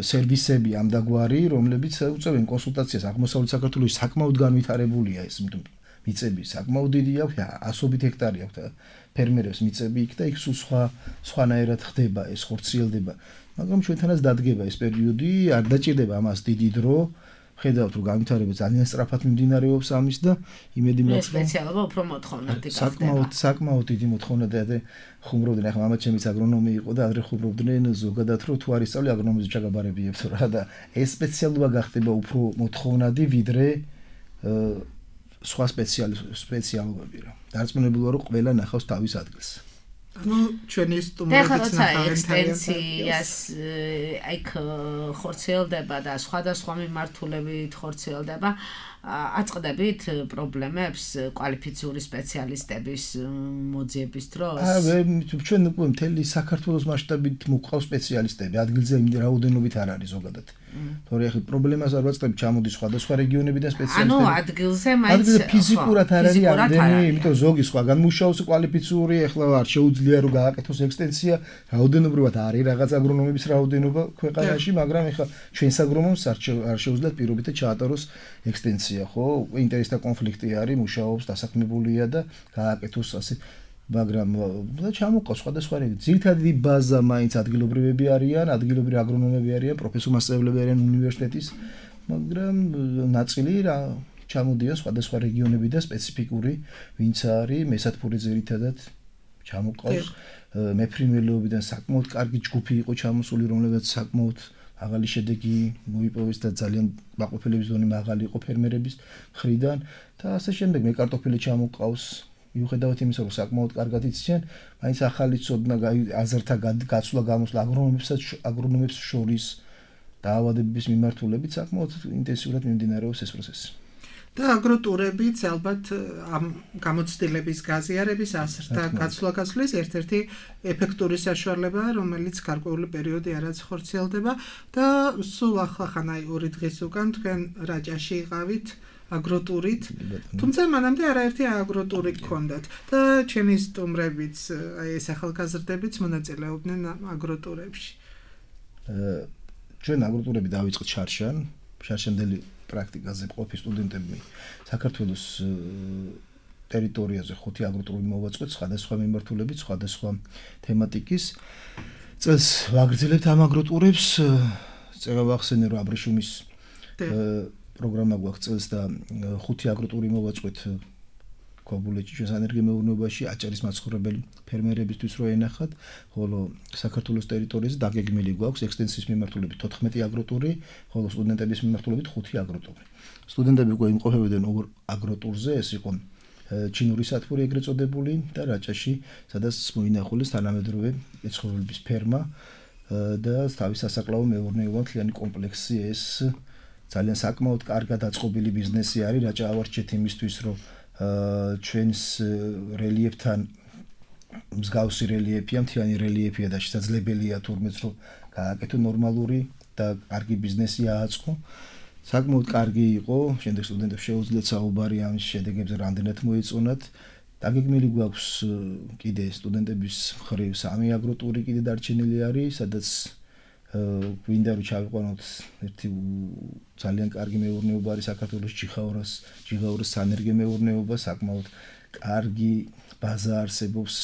სერვისები ამდაგვარი რომლებიც უწევენ კონსულტაციას აღმოსავლეთ საქართველოს საკმაოდ განვითარებულია ეს მიწები საკმაოდ დიდი აქვს ასობით ჰექტარი აქვს ფერმერებს მიწები იქ და იქ სხვანაირად ხდება ეს ხორციელდება მაგრამ ჩვენთანაც დადგება ეს პერიოდი არ დაჭირდება ამას დიდი დრო ხედავთ რომ განვითარება ძალიან სწრაფად მიმდინარეობს ამის და იმედი მაქვს რომ სპეციალობა უფრო მოთხოვნადი გახდება საკმაოდ დიდი მოთხოვნა და ხუმრობდნენ ახლა მამაც ჩემიც აგრონომი იყო და ადრე ხუმრობდნენ ზოგადად რომ თუ არის სწავლი აგრონომის ჩაგაბარებიებთ რა და ეს სპეციალობა გახდება უფრო მოთხოვნადი ვიდრე სხვა სპეციალობები რა დარწმუნებულა რომ ყველა ნახავს თავის ადგილს ну ჩვენი სტუმრებიც ნახავენ ექსტენსიას აიქ ხორციელდება და სხვადასხვა მიმართულებით ხორციელდება აწყდებით პრობლემებს კვალიფიციური სპეციალისტების მოძიების დროს ჩვენ უკვე მთელი საქართველოს მასშტაბით მოყავს სპეციალისტები ადგილზე რაოდენობით არ არის ზოგადად თორე ახლა პრობლემას არ ვაწყდები ჩამოდის სხვადასხვა რეგიონებიდან სპეციალისტები ანუ ადგილზე მაინც ფიზიკურად არ არის ამდენი იმიტომ ზოგი სხვაგან მუშაობს კვალიფიციური ახლა არ შეუძლია რომ გააკეთოს ექსტენსია რაოდენობრივად არის რაღაც აგრონომების რაოდენობა ქვეყანაში მაგრამ ახლა ჩვენს აგრონომს არ შეუძლიათ პირობითად ჩაატაროს ექსტენსია ხო ინტერესთა კონფლიქტი არის მუშაობს დასაქმებულია და გააკეთოს ასე მაგრამ ჩამოყავს სხვადასხვა რეგიონი ძირითადი ბაზა მაინც ადგილობრივები არიან ადგილობრივი აგრონომები არიან პროფესორ-მასწავლებლები არიან უნივერსიტეტის მაგრამ ნაწილი რა ჩამოდიან სხვადასხვა რეგიონები და სპეციფიკური ვინც არის მესათფური ძირითადად ჩამოყავს მეფრინველეობიდან საკმაოდ კარგი ჯგუფი იყო ჩამოსული რომლებიც საკმაოდ მაღალი შედეგი მოიპოვეს და ძალიან მაყოფილების დონე მაღალი იყო ფერმერების მხრიდან და ასე შემდეგ მე კარტოფილი ჩამოყავს მიუხედავად იმისა რომ საკმაოდ კარგად იციან მაინც ახალი ცოდნა აზრთა გაცვლა გამოსვლა აგრონომებს შორის დაავადებების მიმართულებით საკმაოდ ინტენსიურად მიმდინარეობს ეს პროცესი და აგროტურებიც ალბათ ამ გამოცდილების გაზიარების აზრთა გაცვლა-გაცვლის ერთ-ერთი ეფექტური საშუალებაა, რომელიც გარკვეული პერიოდი არაც ხორციელდება და სულ ახლა აი 2 დღის უკან თქვენ რაჭაში იყავით აგროტურით, თუმცა მანამდე არაერთი აგროტური გქონდათ და ჩვენი სტუმრებიც აი ეს ახალგაზრდებიც მონაწილეობდნენ აგროტურებში. ჩვენ აგროტურები დავიწყეთ შარშანდელი პრაქტიკაზე ყოფი სტუდენტები საქართველოს ტერიტორიაზე 5 აგროტურები მოვაწყოთ სხვადასხვა მიმართულებით, სხვადასხვა თემატიკის. წელს ვაგრძელებთ ამ აგროტურებს. წერა ვახსენე რომ აბრეშუმის პროგრამა გვაქვს წელს და 5 აგროტური მოვაწყოთ ქობულეთში ჩვენ სანერგემეურნეობაში აჭარის მაცხოვრებელი ფერმერებისთვის რო ენახათ, ხოლო საქართველოს ტერიტორიაზე დაგეგმილი გვაქვს ექსტენსიის მიმართულებით 14 აგროტური, ხოლო სტუდენტების მიმართულებით 5 აგროტური. სტუდენტები უკვე იმყოფებოდნენ 2 აგროტურზე, ეს იყო ჩინური სათბური ეგრეთ წოდებული და რაჭაში, სადაც მოინახულეს თანამედროვე მეცხოველების ფერმა და თავის სასაკლაო მეურნეობა მთლიანი კომპლექსი ეს ძალიან საკმაოდ კარგად აწყობილი ბიზნესი არის რაჭა ავარჩეთ იმისთვის რომ ჩვენს რელიეფთან მსგავსი რელიეფია, მთლიანი რელიეფია და შესაძლებელია თურმეც რომ გააკეთო ნორმალური და კარგი ბიზნესი ააწყო. საკმაოდ კარგი იყო, შემდეგ სტუდენტებს შეუძლიათ საუბარი ამის შედეგებზე რამდენად მოეწონათ. დაგეგმილი გვაქვს კიდე სტუდენტების მხრივ 3 აგროტური კიდე დარჩენილი არის, სადაც გვინდა რომ ჩავიყვანოთ ერთი ძალიან კარგი მეურნეობა არის საქართველოს ჯიხაურას სანერგემეურნეობა საკმაოდ კარგი ბაზა არსებობს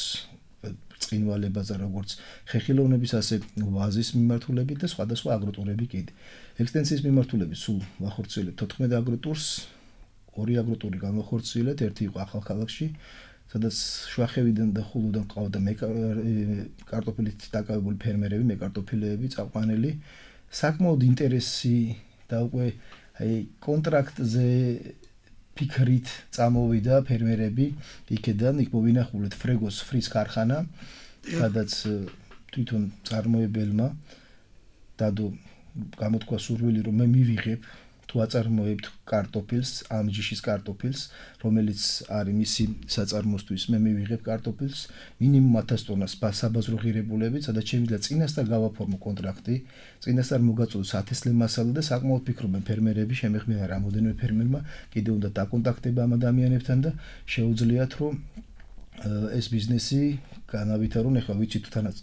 წინვალებაზე, როგორც ხეხილოვნების, ასე ვაზის მიმართულებით და სხვადასხვა აგროტურები კიდე. ექსტენსიის მიმართულებით სულ ვახორციელებთ 14 აგროტურს, 2 აგროტური განვახორციელებთ, ერთი იყო ახალქალაქში, სადაც შუახევიდან და ხულუდან ყავდა კარტოფილით დაკავებული ფერმერები, მეკარტოფილეები, წაყვანელი. საკმაოდ ინტერესი და უკვე კონტრაქტზე ფიქრით წამოვიდა ფერმერები იქედან, იქ მოვინახულეთ ფრეგოს ფრის ქარხანა, სადაც თვითონ წარმოებელმა დადო გამოთქვა სურვილი, რომ მე მივიღებ თუ აწარმოებთ კარტოფილს, ამ ჯიშის კარტოფილს, რომელიც არის მისი საწარმოსთვის, მე მივიღებ კარტოფილს მინიმუმ 1000 ტონას საბაზრო ღირებულებით, სადაც შემიძლია წინასწარ გავაფორმო კონტრაქტი, წინასწარ მოგაწოდოს ათესლე მასალა და საკმაოდ ფიქრობენ ფერმერები, შემეხმიანა რამოდენიმე ფერმერმა, კიდევ უნდა დაკონტაქტება ამ ადამიანებთან და შეუძლიათ, რომ ეს ბიზნესი განავითარონ. ეხლა ვიცით თანაც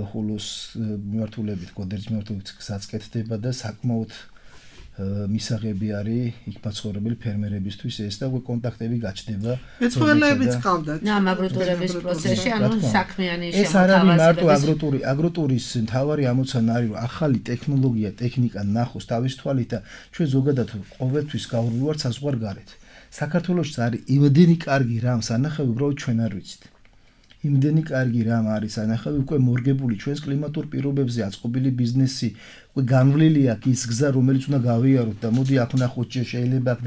ხულოს მიმართულებით, გოდერის მიმართულებით გზაც კეთდება და საკმაოდ მისაღები არის იქ მაცხოვრებელი ფერმერებისთვის ეს და უკვე კონტაქტები გაჩნდება. მეცხოველებიც ყავდათ. აგროტურების პროცესში, ანუ საქმიანი შემოთავაზება. ეს არ არის მარტო აგროტური, აგროტურის მთავარი ამოცანა არის, რომ ახალი ტექნოლოგია, ტექნიკა ნახოს თავის თვალით და ჩვენ ზოგადად ყოველთვის გავუვართ საზღვარგარეთ. საქართველოში არის იმდენი კარგი რამ სანახავი, უბრალოდ ჩვენ არ ვიცით. იმდენი კარგი რამ არის სანახავი, უკვე მორგებული ჩვენს კლიმატურ პირობებზე აწყობილი ბიზნესი, უკვე განვლილი აქვს ის გზა, რომელიც უნდა გავიაროთ და მოდი აქ ვნახოთ, შეიძლება აქ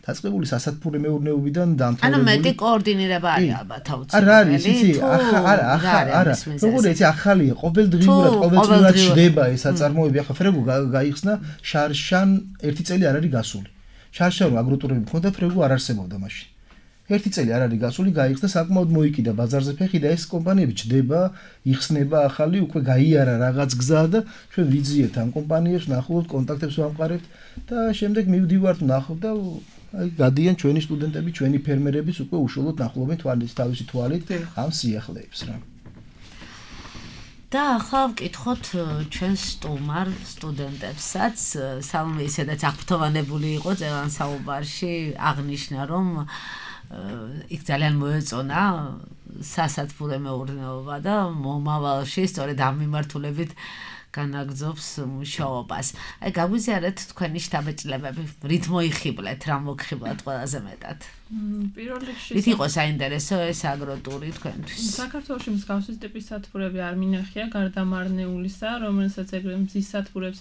დაწყებული სასათბურე მეურნეობიდან დამთავრებული. ანუ მეტი კოორდინირება არის ალბათ აუცილებელი. არა არის, იცი, არა. როგორ იცი, ახალია, ყოველდღიურად შდება ეს აწარმოები. ახლა ფრეგო გაიხსნა შარშან 1 წელი არ არის გასული. შარშან აგროტურები მქონდა, ფრეგო არ არსებობდა მაშინ. 1 წელი არ არის გასული, გაიხსნა, საკმაოდ მოიკიდა ბაზარზე ფეხი და ეს კომპანიები ჩდება, იხსნება ახალი, უკვე გაიარა რაღაც გზა და ჩვენ ვიძიებთ ამ კომპანიებს, ნახულობთ, კონტაქტებს ვამყარებთ და შემდეგ მივდივართ, ნახავთ და გადიან ჩვენი სტუდენტები, ჩვენი ფერმერებიც უკვე უშუალოდ ნახულობენ თავისი თვალით ამ სიახლეებს რა. და ახლა ვკითხოთ ჩვენ სტუმარ სტუდენტებსაც, სალომე ისედაც აღფრთოვანებული იყო ძელან საუბარში, აღნიშნა რომ იქ ძალიან მოეწონა სასათბურე მეურნეობა და მომავალში სწორედ ამ მიმართულებით განაგრძობს მუშაობას. აი გაგვიზიარეთ თქვენი შთაბეჭდილებები, რით მოიხიბლეთ, რა მოგხიბლათ ყველაზე მეტად? პირველ რიგში რით იყო საინტერესო ეს აგროტური თქვენთვის? საქართველოში მსგავსი ტიპის სათბურები არ მინახია, გარდა მარნეულისა, რომელსაც ეგრეთ მზის სათბურებს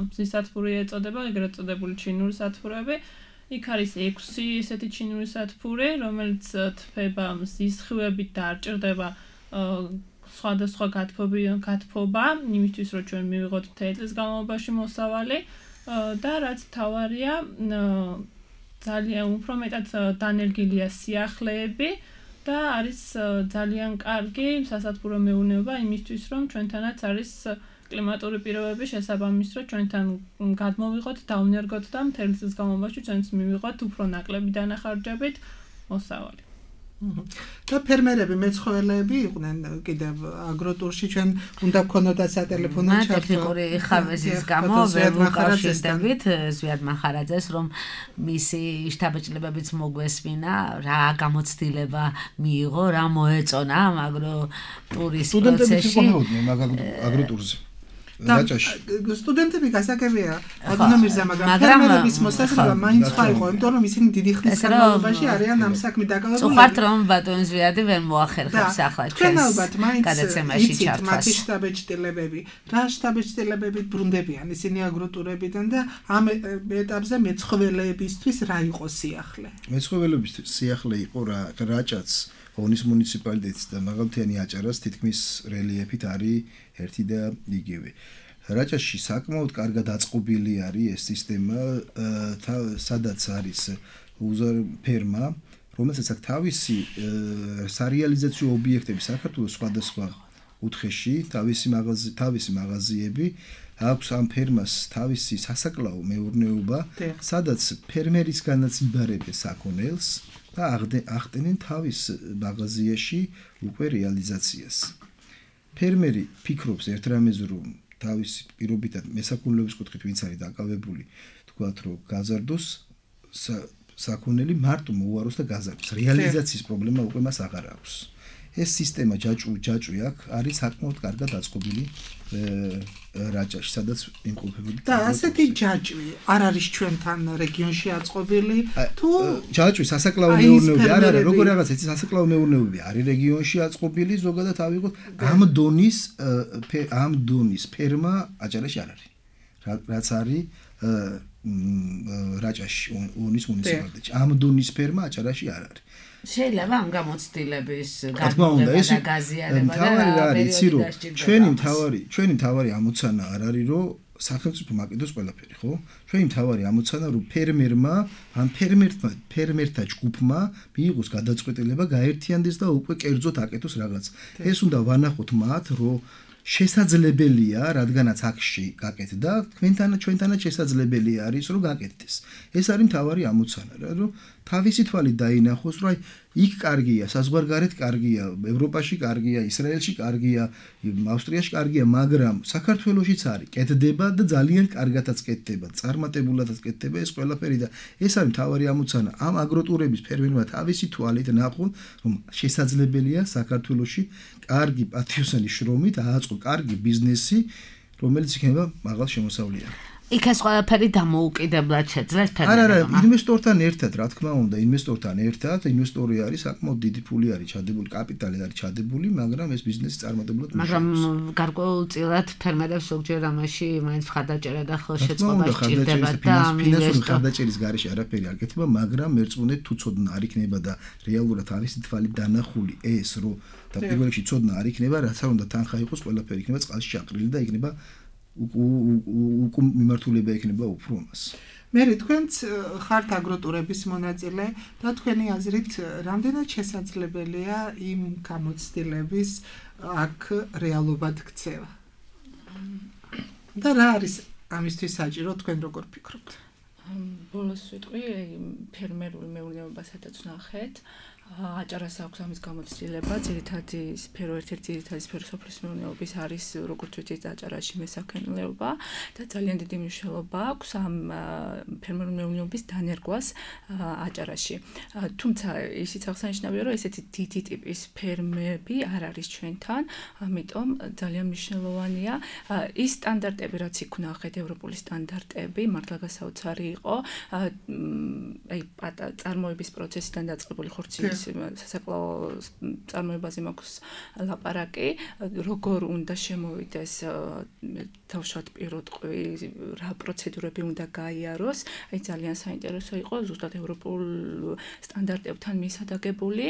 მზის სათბური ეწოდება, ეგრეთ წოდებული ჩინური სათბურები. იქ არის 6 ესეთი ჩინური სათბური, რომელიც თფება მზის ხივებით და არ ჭირდება სხვადასხვა გათბობა, იმისთვის რომ ჩვენ მივიღოთ მთელი წლის განმავლობაში მოსავალი და რაც თავარია, ძალიან უფრო მეტად დანერგილია სიახლეები და არის ძალიან კარგი სასათბურო მეურნეობა იმისთვის, რომ ჩვენთანაც არის კლიმატური პირობები შესაბამის, რომ ჩვენთან გადმოვიღოთ, დავნერგოთ და მთელი წლის განმავლობაში ჩვენც მივიღოთ უფრო ნაკლები დანახარჯებით მოსავალი. და ფერმერები, მეცხოველეები იყვნენ კიდევ აგროტურში, ჩვენ უნდა გქონოდა სატელეფონო ჩართვა. ტექნიკური ხარვეზის გამო ვერ ვუკავშირდებით ზვიად მახარაძეს, რომ მისი შთაბეჭდილებებიც მოგვესმინა, რა გამოცდილება მიიღო, რა მოეწონა ამ აგროტურის პროცესში. აგროტურზე. რაჭაში. სტუდენტები გასაგებია, აგონო მირზა, მაგრამ ფერმერების მოსაზრება მაინც სხვა იყო, იმიტომ რომ ისინი დიდი ხნის განმავლობაში არიან ამ საქმით დაკავებული. წუხართ რომ ბატონ ზვიადი ვერ მოახერხებს ახლა ჩვენს გადაცემაში ჩართვას. მათი შთაბეჭდილებები, რა შთაბეჭდილებებით ბრუნდებიან ისინი აგროტურებიდან და ამ ეტაპზე მეცხოველეებისთვის რა იყო სიახლე? მეცხოველეებისთვის სიახლე იყო რაჭაც ონის მუნიციპალიტეტის და მაღალმთიანი აჭარას თითქმის რელიეფით არის ერთი და იგივე. რაჭაში საკმაოდ კარგად აწყობილი არის ეს სისტემა, სადაც არის ფერმა, რომელსაც აქვს თავისი სარეალიზაციო ობიექტები საქართველოს სხვადასხვა კუთხეში, თავისი მაღაზიები, აქვს ამ ფერმას თავისი სასაკლაო მეურნეობა, სადაც ფერმერისგანაც იბარებენ საქონელს და ახდენენ თავის მაღაზიაში უკვე რეალიზაციას. ფერმერი ფიქრობს ერთ რამეზე, რომ თავისი პირობითად მესაქონლეობის კუთხით ვინც არის დაკავებული, თქვათ რომ გაზარდოს საქონელი მარტო მოუაროს და გაზარდოს. რეალიზაციის პრობლემა უკვე მას აღარ აქვს. ეს სისტემა ჯაჭვი აქვს, არის საკმაოდ კარგად დაწყობილი რაჭაში, სადაც იმყოფებოდი. და ასეთი ჯაჭვი არ არის ჩვენთან რეგიონში აწყობილი, თუ ჯაჭვი სასაკლაო მეურნეობები არ არის, როგორ რაღაც ეს სასაკლაო მეურნეობები არის რეგიონში აწყობილი, ზოგადად ავიღოთ ამ დონის ფერმა აჭარაში არ არის. რაც არის რაჭაში ონის მუნიციპალიტეტში. ამ დონის ფერმა აჭარაში არ არის. შეიძლება ამ გამოცდილების გაგრძელება და გაზიარება და ჩვენი მთავარი ამოცანა არ არის რომ სახელმწიფო მაკიდოს ყველაფერი, ხო? ჩვენი მთავარი ამოცანა რომ ფერმერმა ან ფერმერთა ჯგუფმა მიიღოს გადაწყვეტილება, გაერთიანდეს და უკვე კერძოდ აკეთოს რაღაც. ეს უნდა ვანახოთ მათ, რომ შესაძლებელია, რადგანაც აქში გაკეთდა, ჩვენთანაც შესაძლებელია არის, რომ გაკეთდეს. ეს არის მთავარი ამოცანა, რომ თავისი თვალით დაინახოს, რომ იქ კარგია, საზღვარგარეთ კარგია, ევროპაში კარგია, ისრაელში კარგია, ავსტრიაში კარგია, მაგრამ საქართველოშიც არის, კეთდება და ძალიან კარგადაც კეთდება, წარმატებულადაც კეთდება ეს ყველაფერი და ეს არის მთავარი ამოცანა. ამ აგროტურების ფერმერმა თავისი თვალით ნახონ, რომ შესაძლებელია საქართველოში კარგი პატიოსანი შრომით ააწყო კარგი ბიზნესი, რომელიც იქნება მაღალ შემოსავლიანი. იქ ეს ყველაფერი დამოუკიდებლად შეძლეს ფერმერმა. არა, ინვესტორთან ერთად, რა თქმა უნდა, ინვესტორი არის საკმაოდ დიდი ფული არის ჩადებული, კაპიტალი არის ჩადებული, მაგრამ ეს ბიზნესი წარმატებულად მუშაობს. მაგრამ გარკვეულწილად ფერმერებს ზოგჯერ ამაში მაინც მხარდაჭერა და ხელშეწყობა სჭირდება და ფინანსური მხარდაჭერის გარეშე არაფერი არ გეთება, მაგრამ მერწმუნეთ თუ ცოდნა არ იქნება და რეალურად თავისი თვალით დანახული ეს, რომ და პირველ რიგში ცოდნა არ იქნება, რაც არ უნდა თანხა იყოს, ყველაფერი იქნება წყალში ჩაყრილი და იქნება მიმართულება იქნება უფრო ამას. მე თქვენც ხართ აგროტურების მონაწილე და თქვენი აზრით რამდენად შესაძლებელია იმ გამოცდილების აქ რეალობად ქცევა? და რა არის ამისთვის საჭირო, თქვენ როგორ ფიქრობთ? ბოლოს ვიტყვი, ფერმერული მეურნეობა სადაც ნახეთ, აჭარას აქვს ამის გამოცდილება, ძირითადი სფერო, ერთ-ერთი ძირითადი სფერო სოფლის მეურნეობის არის, როგორც ვიცით, აჭარაში მესაქონლეობა და ძალიან დიდი მნიშვნელობა აქვს ამ ფერმერული მეურნეობის დანერგვას აჭარაში. თუმცა ისიც აღსანიშნავია, რომ ესეთი დიდი ტიპის ფერმები არ არის ჩვენთან, ამიტომ ძალიან მნიშვნელოვანია ის სტანდარტები, რაც იქ ვნახეთ, ევროპული სტანდარტები, მართლა გასაოცარი იყო, აი წარმოების პროცესიდან დაწყებული ხორცის სასაკლაო წარმოებაზე მაქვს ლაპარაკი, როგორ უნდა შემოვიდეს თავშოთ პირუტყვი, რა პროცედურები უნდა გაიაროს, აი ძალიან საინტერესო იყო ზუსტად ევროპულ სტანდარტებთან მისადაგებული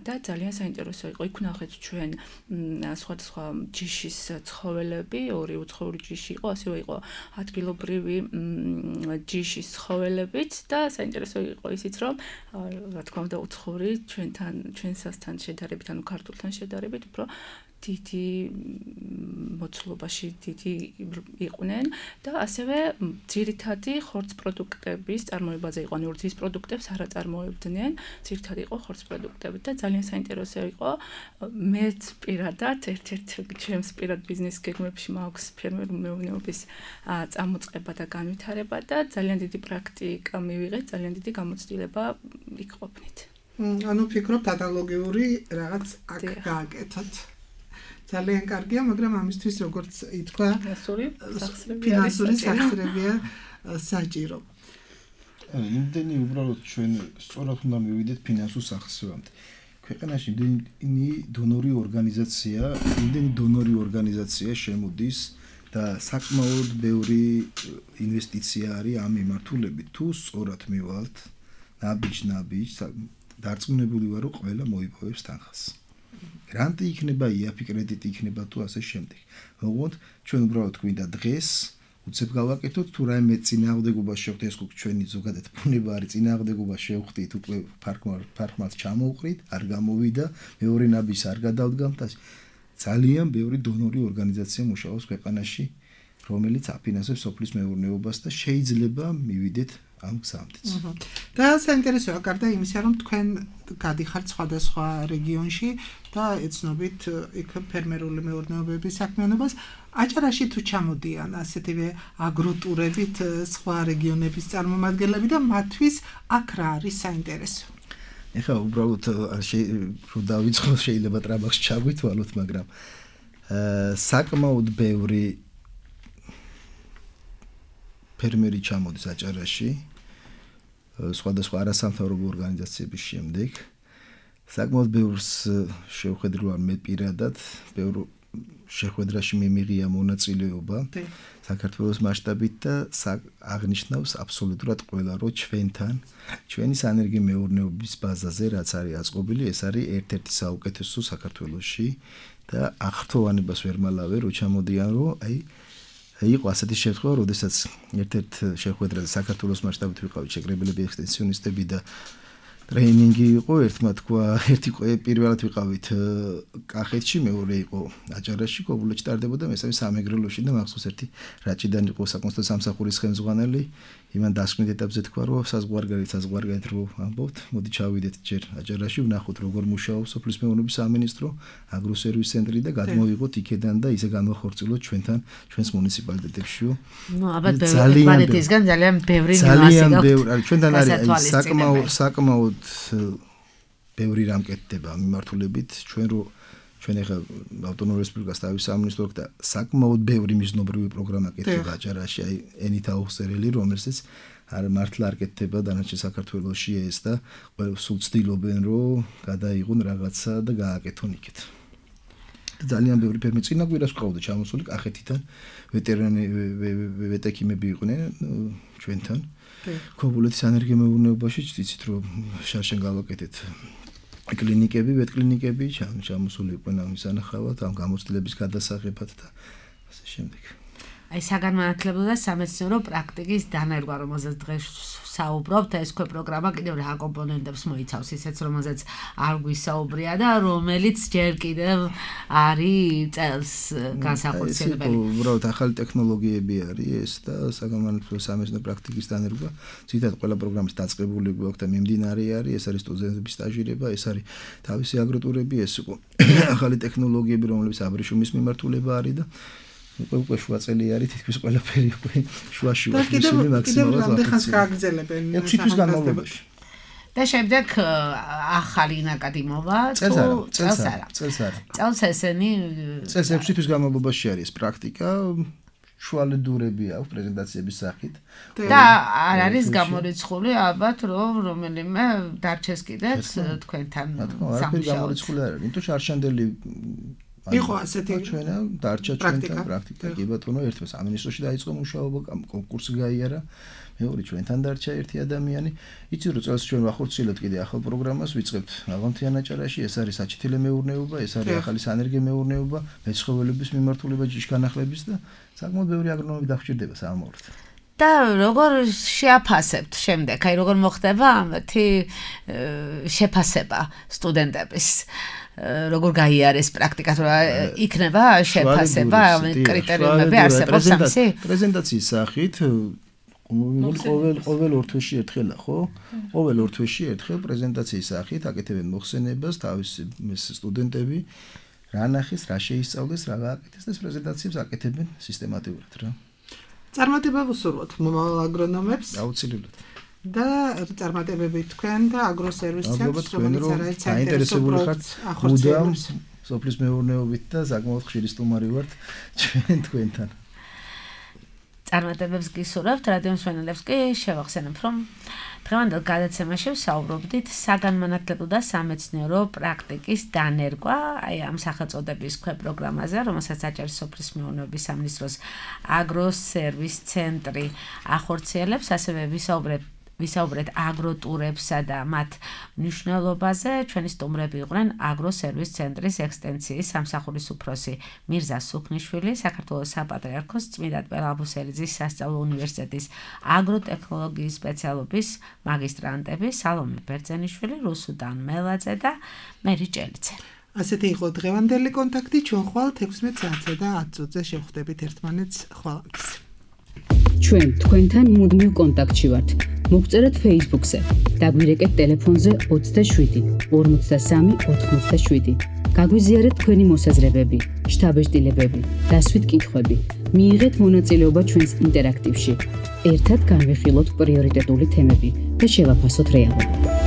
და ძალიან საინტერესო იყო. იქ ვნახეთ ჩვენ სხვადასხვა ჯიშის ცხოველები, ორი უცხოური ჯიში იყო, ასევე იყო ადგილობრივი ჯიშის ცხოველებიც და საინტერესო იყო ისიც, რომ რა თქმა უნდა უცხოური ჩვენსასთან შედარებით, ანუ ქართულთან შედარებით, უფრო დიდი მოცულობაში დიდი იყვნენ და ასევე ძირითადი ხორც პროდუქტების წარმოებაზე იყო, ანუ რძის პროდუქტებს არ აწარმოებდნენ, ძირითადი იყო ხორც პროდუქტები და ძალიან საინტერესო იყო. მეც პირადად ერთ-ერთ ჩემს პირად ბიზნეს გეგმებში მაქვს ფერმერული მეურნეობის წამოწყება და განვითარება და ძალიან დიდი პრაქტიკა მივიღეთ, ძალიან დიდი გამოცდილება იქ ყოფნით. ანუ ფიქრობთ ანალოგიური რაღაც აქ გააკეთოთ. ძალიან კარგია, მაგრამ ამისთვის როგორც ითქვა, ფინანსური სახსრებია საჭირო. იმდენი უბრალოდ ჩვენ სწორად უნდა მივიდეთ ფინანსურ სახსრებამდე. ქვეყანაში იმდენი დონორი ორგანიზაცია შემოდის და საკმაოდ ბევრი ინვესტიცია არის ამ მიმართულებით. თუ სწორად მივალთ, ნაბიჯ დარწმუნებული ვარ, რომ ყველა მოიპოვებს თანხას. გრანტი იქნება, იაფი კრედიტი იქნება თუ ასე შემდეგ. ოღონდ ჩვენ უბრალოდ გვინდა დღეს უცებ გავაკეთოთ, თუ რაიმე წინააღმდეგობა შევხვდეთ, ეს ჩვენი ზოგადად ბუნება არის, წინააღმდეგობა შევხვდით, უკვე ფარხმალს ჩამოვყრით, არ გამოვიდა, მეორე ნაბიჯს არ გადავდგამთ. ძალიან ბევრი დონორი ორგანიზაცია მუშაობს ქვეყანაში, რომელიც აფინანსებს სოფლის მეურნეობას და შეიძლება მივიდეთ ამ გზამდეც. და საინტერესოა, გარდა იმისა, რომ თქვენ გადიხართ სხვადასხვა რეგიონში და ეცნობით იქ ფერმერული მეურნეობების საქმიანობას, აჭარაში თუ ჩამოდიან ასეთივე აგროტურებით სხვა რეგიონების წარმომადგენლები და მათთვის აქ რა არის საინტერესო? ეხლა უბრალოდ რომ დავიწყო შეიძლება ტრაბახში ჩაგვითვალოთ, მაგრამ საკმაოდ ბევრი ფერმერი ჩამოდის აჭარაში სხვადასხვა არასამთავრობო ორგანიზაციების შემდეგ. საკმაოდ ბევრს შევხედრილ მე პირადად, ბევრ შეხვედრაში მიმიღია მონაწილეობა საქართველოს მასშტაბით და აღნიშნავს აბსოლუტურად ყველა, რომ ჩვენი სანერგე მეურნეობის ბაზაზე რაც არის აწყობილი, ეს არის ერთ-ერთი საუკეთესო საქართველოში და აღრთოვანებას ვერ მალავე, რომ ჩამოდიან, რომ იყო ასეთი შემთხვევა, როდესაც ერთ-ერთ შეხვედრაზე საქართველოს მასშტაბით ვიყავით შეკრებილები ექსტენსიონისტები და ტრეინინგი იყო, ერთი პირველად ვიყავით კახეთში, მეორე იყო აჭარაში, კობულეთში ტარდებოდა, მესამე სამეგრელოში და მახსოვს ერთი რაჭიდან იყო საკონსტიტუციო სამსახურის ხელმძღვანელი, იმან დასკვნით ეტაპზე თქვა, რომ საზღვარგარეთ რო ამბობთ, მოდი ჩავიდეთ ჯერ აჭარაში, ვნახოთ როგორ მუშაობს სოფლის მეურნეობის სამინისტრო, აგროსერვის ცენტრი და გადმოვიღოთ იქედან და ისე განვახორციელოთ ჩვენს მუნიციპალიტეტებშიო. ნუ ალბათ პლანეტისგან ძალიან ბევრი ნიუანსი გაქვს. ჩვენთან არის საკმაოდ ბევრი რამ კეთდება მიმართულებით ჩვენ ახლა ავტონომიური რესპუბლიკას თავის სამინისტრო და საკმაოდ ბევრი მიზნობრივი პროგრამა კეთდება აჭარაში, აი ენით აუხსერელი, რომელსაც მართლა არ კეთდება დანარჩენ საქართველოში ეს და სულ ცდილობენ რომ გადაიღონ რაღაცა და გააკეთონ იქით. ძალიან ბევრი ფერმერი წინა კვირას ვყავდა ჩამოსული კახეთიდან, ვეტექიმები იყვნენ ჩვენთან. კობულეთის სანერგე მეურნეობაში იცით რომ შარშან გავაკეთეთ კლინიკები, ვეტკლინიკები, ჩამოსული იყვნენ ამის ანახავად, ამ გამოცდილების გადასაღებად და ასე შემდეგ. აი საგანმანათლებლო და სამეცნიერო პრაქტიკის დანერგვა, რომელზეც დღეს საუბრობთ, ეს პროგრამა კიდევ რა კომპონენტებს მოიცავს, ისეც რომელზეც არ გვისაუბრია და რომელიც ჯერ კიდევ არის წელს განსახორციელებელი. უბრალოდ ახალი ტექნოლოგიები არის ეს და საგანმანათლებლო სამეცნიერო პრაქტიკის დანერგვა. ძირითადად ყველა პროგრამის დაწყებული გვაქვს და მიმდინარე არის, ეს არის სტუდენტების სტაჟირება, ეს არის თავისი აგროტურები, ეს იყო ახალი ტექნოლოგიები, რომლებიც აბრეშუმის მიმართულება არის და უკვე შუა წელი არის თითქმის ყველაფერი უკვე შუაში ვარ მისული მაქსიმალურად რამდენ ხანს გააგრძელებენ 6 თვის განმავლობაში და შემდეგ ახალი ნაკადი მოვა წელს ესენი წელს 6 თვის განმავლობაში არის პრაქტიკა შუალედურები აქვს პრეზენტაციების სახით და არ არის გამორიცხული ალბათ რომ რომელიმე დარჩეს კიდეც თქვენთან სამუშაოდ არ არის იმიტომ შარშანდელი იყო ასეთი ჩვენა დარჩა ჩვენთან პრაქტიკა კი ბატონო ერთმა სამინისტროში დაიწყო მუშაობა კონკურსი გაიარა მეორე ჩვენთან დარჩა ერთი ადამიანი იცი რომ წელს ჩვენ ვახორციელებთ კიდე ახალ პროგრამას ვიწყებთ აღამთიან აჭარაში ეს არის საჩითილე მეურნეობა ეს არის ახალი სანერგე მეურნეობა მეცხოველების მიმართულება ჯიშგანახლების და საკმაოდ ბევრი აგრონომი დაგჭირდება საამაოდ და როგორ შეაფასებთ შემდეგ აი როგორ მოხდება ამათი შეფასება სტუდენტების როგორ გაიარეს პრაქტიკა რა იქნება შეფასება კრიტერიუმები არსებობს ამისი პრეზენტაციის სახით ყოველ ორ თვეში ერთხელა ხო ყოველ ორ თვეში ერთხელ პრეზენტაციის სახით აკეთებენ მოხსენებას თავისი სტუდენტები რა ნახეს რა შეისწავლეს რა გააკეთეს და ეს პრეზენტაციებს აკეთებენ სისტემატურად რა წარმატება ვუსურვოთ მომავალ აგრონომებს აუცილებლად და წარმატებები თქვენ და აგროსერვის ცენტრს რომელიც არის საინტერესებული ხართ ახორციელებს სოფლის მეურნეობით და საკმაოდ ხშირი სტუმარი ვართ თქვენთან წარმატებებს გისურვებთ რადიო მსმენელებს კი შევახსენებ რომ დღევანდელ გადაცემაში ვსაუბრობდით საგანმანათლებლო და სამეცნიერო პრაქტიკის დანერგვა აი ამ სახელწოდების პროგრამაზე რომელსაც აჭარის სოფლის მეურნეობის სამინისტროს აგროსერვის ცენტრი ახორციელებს ასევე ვისაუბრეთ აგროტურებსა და მათ მნიშვნელობაზე ჩვენი სტუმრები იყვნენ აგროსერვის ცენტრის ექსტენსიის სამსახურის უფროსი მირზა სუქნიშვილი საქართველოს საპატრიარქოს წმინდა პელაბუსელიძის სასწავლო უნივერსიტეტის აგროტექნოლოგიის სპეციალობის მაგისტრანტები სალომე ბერძენიშვილი რუსუდან მელაძე და მერი ჭელიძე ასეთი იყო დღევანდელი კონტაქტი ჩვენ ხვალ 16 საათზე და 10 წუთზე შევხვდებით ერთმანეთს ხვალს ჩვენ თქვენთან მუდმივ კონტაქტში ვართ. მოგწერეთ Facebook-ზე. დაგვირეკეთ ტელეფონზე 27 53 87. გაგვიზიარეთ თქვენი მოსაზრებები, შთაბეჭდილებები, დასვით კითხვები. მიიღეთ მონაწილეობა ჩვენს ინტერაქტივში. ერთად განვიხილოთ პრიორიტეტული თემები და შევაფასოთ რეალობა.